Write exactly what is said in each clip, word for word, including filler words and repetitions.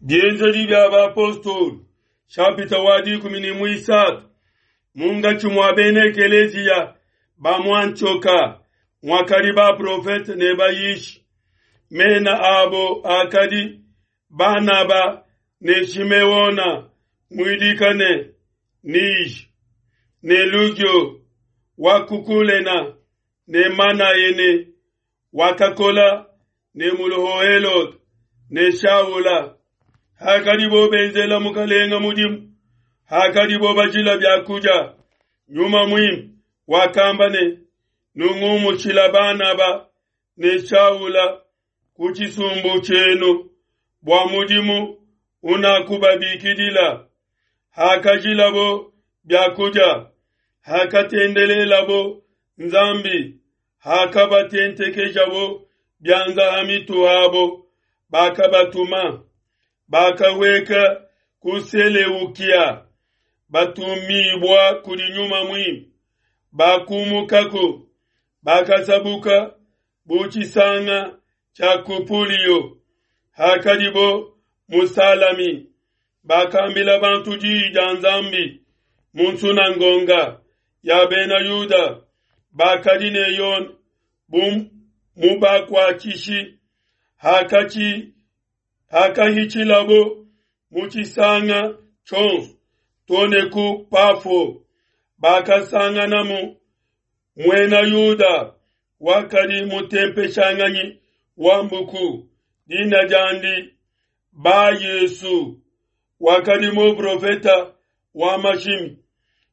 Bienzedi bia bapostolo nshapita wa dikumi ne muisatu munkatshi mua bena ekeleziya ba mu Antioka muakadi baprofete ne bayishi. Mena abo akadi Banaba ne Shimeona muidika ne Nige ne Lugio wa ku Kulena ne Manaene wakakola ne muloho Helode ne Shaula. Hakadibo benzela mukalenga mudimu, hakadibo bajila byakudia, Nyuma Muimpe wakamba ne, nungumushila Banaba ne Shaula ku tshisumbu tshienu bua mudimu unakubabikidila. Hakajilabo byakudia, hakatendelelabo Nzambi, hakabatentekejabo bianza ha mitu habo, bakabatuma. Bakaweka ku Seleukia, batumibua kudi Nyuma Muimpe. Bakumukako, bakasabuka bu tshisanga tshia Kupulio. Hakadibo mu Salami, bakambila bantu diyi dia Nzambi mu nsunangonga ya bena Yuda. Bakadi ne Yone bu mubakuatshishi. Hakachi hakahitshilabo mu tshisanga tshionso too ne ku Pafo, bakasanganamu muena Yuda wakadi mutempeshanganyi wa mbuku, dina diandi Ba-Yesu, wakadi muprofeta wa mashimi,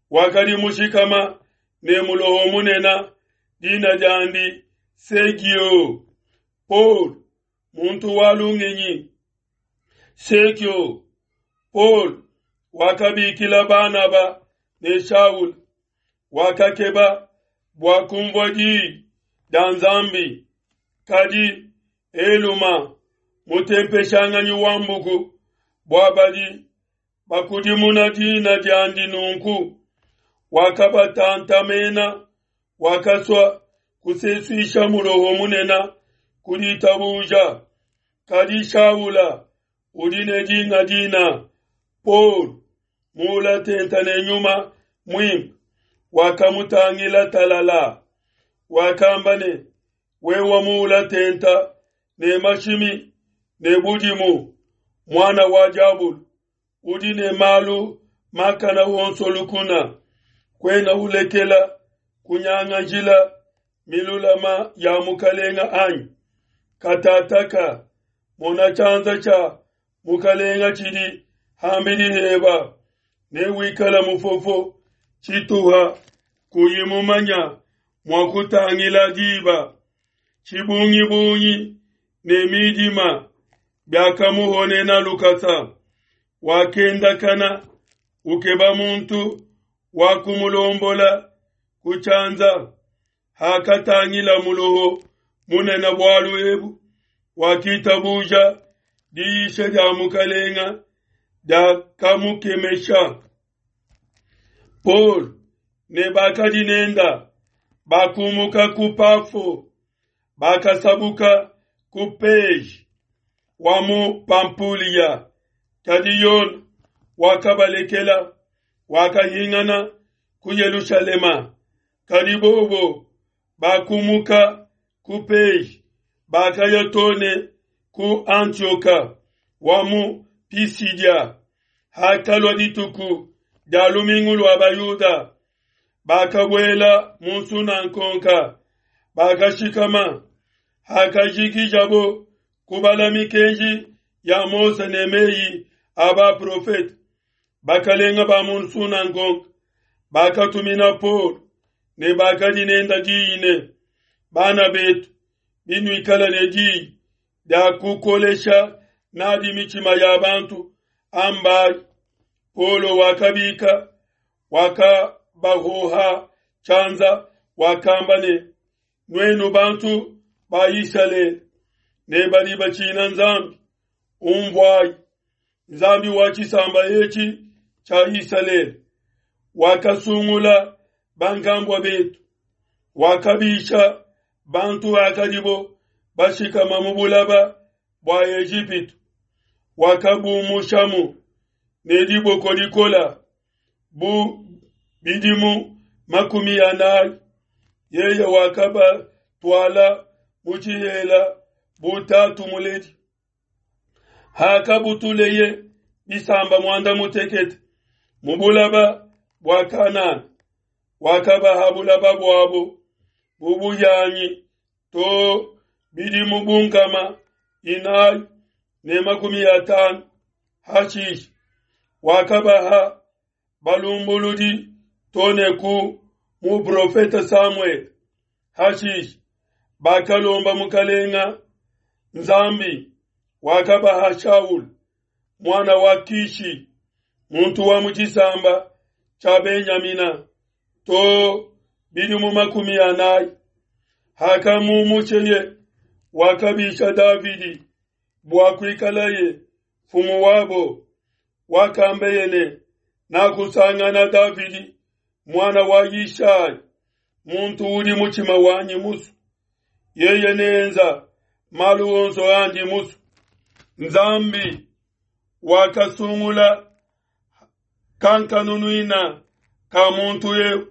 wakadi mushikama ne muloho munene, dina diandi Segio Paul, muntu wa lungenyi. Sekio Paul wakabikila Banaba ne Shaul, wakakeba bua kumvua diyi dia Nzambi. Kadi Eluma mutempeshanganyi wa mbuku, bua badi bakudimuna dina diandi nunku, wakabatantamena, wakasua kusesuisha muloho munene ku ditabuja. Kadi Shaula udi ne dinga dina Paul, mula tenta ne Nyuma Muimpe, wakamutangila talala, wakamba ne, wewa mula tenta ne mashimi ne budimu, mwana wa diabulu, udi ne malu makana wonso lukuna, kwena ulekela kunyanga njila milulama ya mukalenga anyi? Katataka mona tshianza tshia mukalenga tshidi hambidi heba, ne wikala mufofo tshituha kuyi mumanya mua kutangila diba. Tshibungibungi ne midima biakamuhonena lukasa, wakendakana ukeba muntu wa kumulombola ku tshianza. Hakatangila muloho munene bualu ebu, wakitabuja diyisha dia mukalenga diakamukemesha. Paul ne bakadi nenda bakumuka ku Pafo, bakasabuka ku Pege wa mu Pampulia. Kadi Yone wakabalekela, wakahingana ku Yelushalema. Kadi bobo bakumuka ku Pege, bakaya too ne ku Antioka wa mu Pisidia. Hakalua dituku dia lumingu lua Bayuda, bakabuela mu nsunankonka, bakashikama. Hakajikijabo kubala mikenji ya Mose ne meyi a baprofete, bakalenga ba mu nsunankonka bakatumina Paul ne bakadi nenda diyi ne, bana betu, binuikala ne diyi dia kukolesha nadi mitshima ya bantu, ambayi. Paulo wakabika, wakabahoha tshianza, wakamba ne, nuenu bantu ba Isalele ne badi batshina Nzambi, umvuayi. Nzambi wa tshisamba etshi tshia Isalele wakasungula bankambua betu, wakabisha bantu akadibo bashikama mu bulaba bua Ejipitu, Wakabumushamu ne diboko dikola bu bidimu makumi anayi. Yeye wakabatwala mu tshihela bu tatu muledi. Hakabutuleye bisamba muanda mutekete mu bulaba bua Kanana, wakabaha bulaba buabo bubuyanyi to bidimu bunkama inayi ne makumi atanu. Hashishe wakabaha balumbuludi tone ku muprofeta Samuel. Hashishe bakalomba mukalenga Nzambi, wakabaha Shaul mwana wa Kishi, muntu wa mu tshisamba tshia Benyamina, to bidimu makumi anayi. Hakamumusheye wakabisha Davidi bua kuikalaye mfumu wabo. Wakambeye ne nakusangana Davidi mwana wa Yishai, muntu udi mutshima wanyi musu, yeye nenza malu onso andi musu. Nzambi wakasungula kankanunuina ka muntu eu,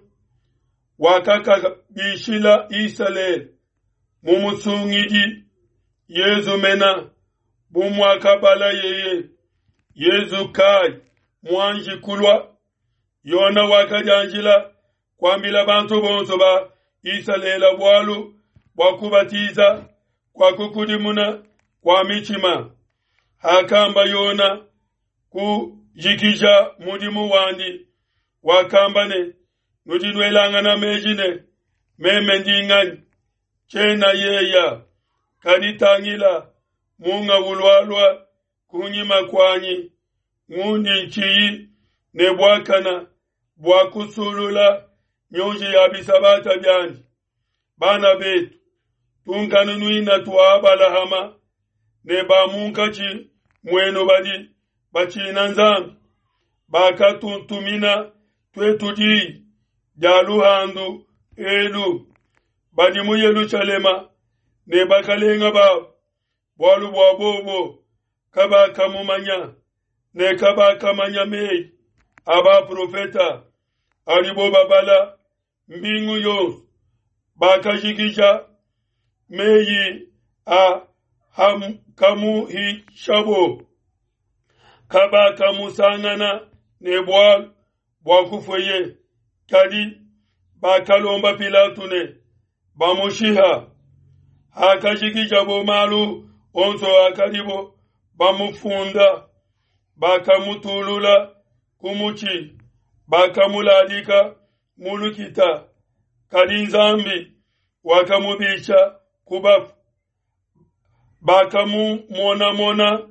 wakakabishila Isalele mumusungidi Yezu mena bumwakabala yeye Yezu kai mwanji kulwa. Yona wakajanjila kwambila bantu bonso ba Isalele bwalu bwa kubatiza kwa kukudimuna kwa michima. Hakamba Yona kujikija mudimu wandi, wakamba ne nudinwelangana meji ne meme ndinganyi chena yeya kaditangila munga ulwalwa kunyima kwanyi ngundi nchiyi ne bwakana bwa kusulula nyonji ya bisabata byandi. Bana betu tunkanunuina twa Abalahama ne bamunkachi mwenu badi bachina Nzambi bakatuntumina twetu di dia luhandu elu badi mu Yerusalema ne bakalenga babo bwalu bwa bobo kabakamumanya ne kabakamanya meyi aba profeta alibo babala mbingu yonso bakajikija meyi a ham kamuhishabo kabakamusangana ne bwalu bwa kufweye. Kadi bakalomba Pilato ne bamushiha. Hakajikija bo malu onso akalibo bamufunda, bakamutulula kumuchi, bakamuladika mulukita. Kadi Nzambi wakamubisha kubafu, bakamumonamona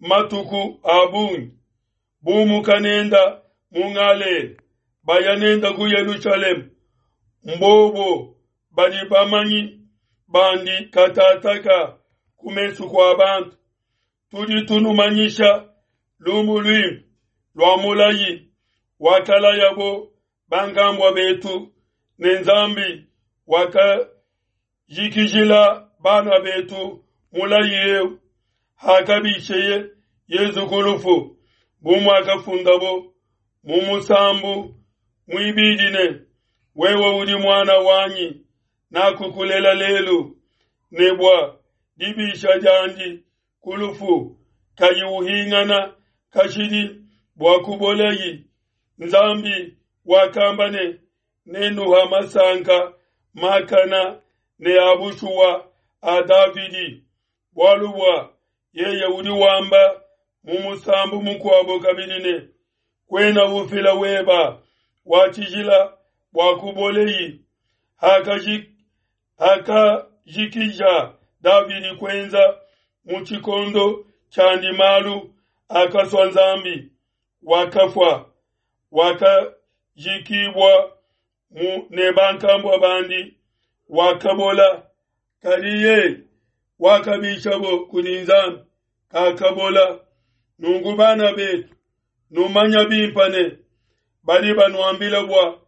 matuku abungi bumukanenda mungale bayanenda ku Yerusalemu. Mbobo badi bamanyi bandi katataka kumesu kwa bantu. Tudi tunumanyisha lumu lwimpe lwa mulayi wakalayabo bangambwa betu ne Nzambi wakajikijila bana betu mulayi eu hakabisheye Yezu kulufu bumwakafundabo mumusambu mwibidine wewe udi mwana wanyi nakukulela lelu nebwa dibisha jandi kulufu kayi uhingana kashidi bwa kuboleyi. Nzambi wakambane nenuha masanka makana ne abushuwa a Davidi bwalu bwa yeye udi wamba mumusambu mukwabo kabidine kwena ufila weba wachijila bwa kuboleyi. Hakaji hakajikija Davidi kwenza muchikondo chandi malu akaswa Nzambi wakafwa wakajikibwa mu nebankambwa bandi wakabola. Kaliye wakabishabo kudi Nzambi kakabola. Nungu bana betu numanya bimpane bali banwambila bwa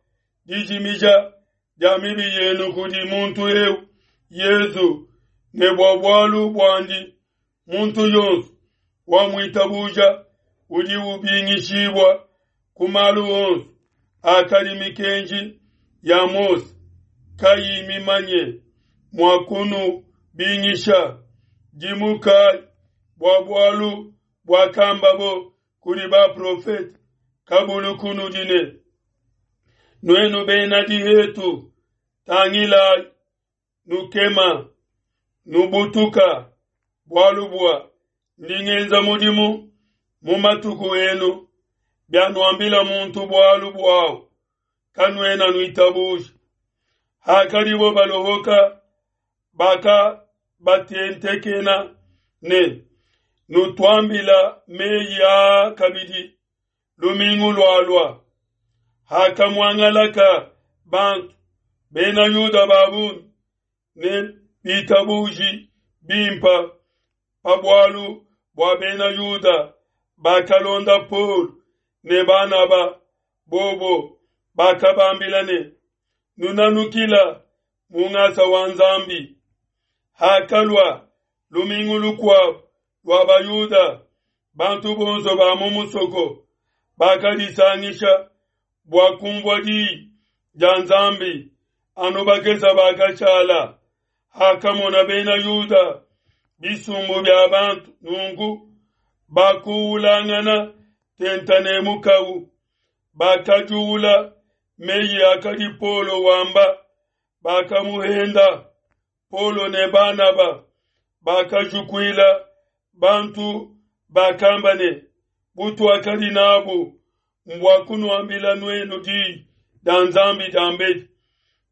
dijimija dia mibi yenu kudi muntu eu Yezu ne bwa bwalu bwandi muntu yonso Wamuitabuja udi ubingishibua ku malu onso akadi mikenji ya Mose kayi mimanye mua kunubingisha. Dimukayi bua bualu buakambabo kudi baprofete kabulu kunudi ne, Nuenu bena dihetu, tangilayi, nukema, nubutuka, bualu bua ndi ngenza mudimu mu matuku enu, bianuambila muntu bualu buawu, kanuena nuitabuja. Hakadibo balohoka, bakabatentekena ne, Nutuambila meyi aa kabidi lumingu lualua. Hakamuangalaka bantu, bena Yuda ba bungi ne bitabuji bimpa pa bualu bua bena Yuda bakalonda Paulo ne Banaba, bobo bakabambila ne, Nunanukila mu ngasa wa Nzambi. Hakalua lumingu lukuabo lua Bayuda, bantu bonso ba mu musoko bakadisangisha bua kumvua diyi dia Nzambi, anu bakesa bakashala. Hakamona bena Yuda bisumbu bia bantu nunku, bakuwulangana tenta ne mukawu, bakajuula meyi akadi Paulo wamba, bakamuhenda. Paulo ne Banaba bakajukuila bantu, bakamba ne, Butuakadi nabu mbua kunuambila nuenu diyi dia Nzambi diambedi,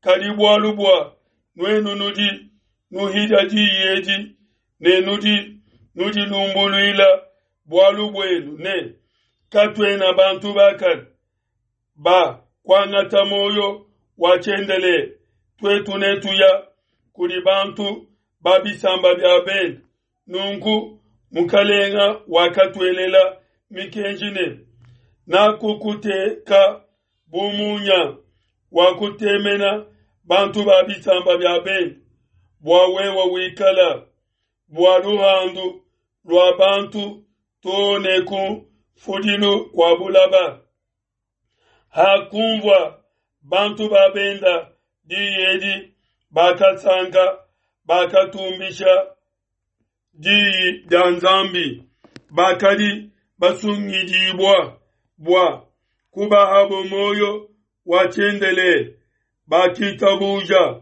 kadi bualu bua nuenu nudi nuhidia diyi edi ne nudi nudilumbuluila bualu buenu ne, Katuena bantu bakane ba kuangata muoyo wa tshiendelele, tuetu netuya kudi bantu ba bisamba bia bende. Nunku Mukalenga wakatuelela mikenji ne, Nakukuteka bu munya wa kutemena bantu ba bisamba bia bende, bua wewe wikala bua luhandu lua bantu too ne ku mfudilu kua bulaba. Hakumvua bantu ba benda diyi edi, bakasanka, bakatumbisha diyi dia Nzambi. Bakadi basungidibua bua kubahabo muoyo wa tshiendelele, bakitabuja,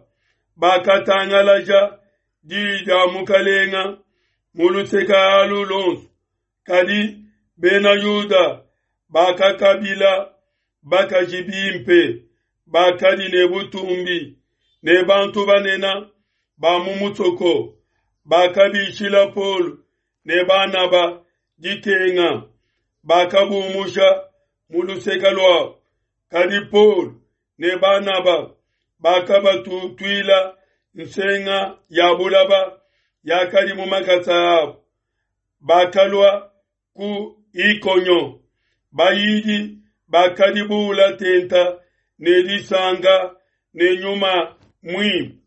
bakatangalaja diyi dia Mukalenga mu luseke alu luonso. Kadi bena Yuda bakakabila bakaji bimpe bakadi ne butumbi ne bantu banene ba mu musoko, bakabishila Paulo ne Banaba dikenga, bakabumusha mu luseke luabo. Kadi Paulo ne Banaba bakabatutuila nsenga ya bulaba yakadi mu makasa abo, bakalua ku Ikonio. Bayidi bakadi buula tenta ne disanka ne nyuma muimpe.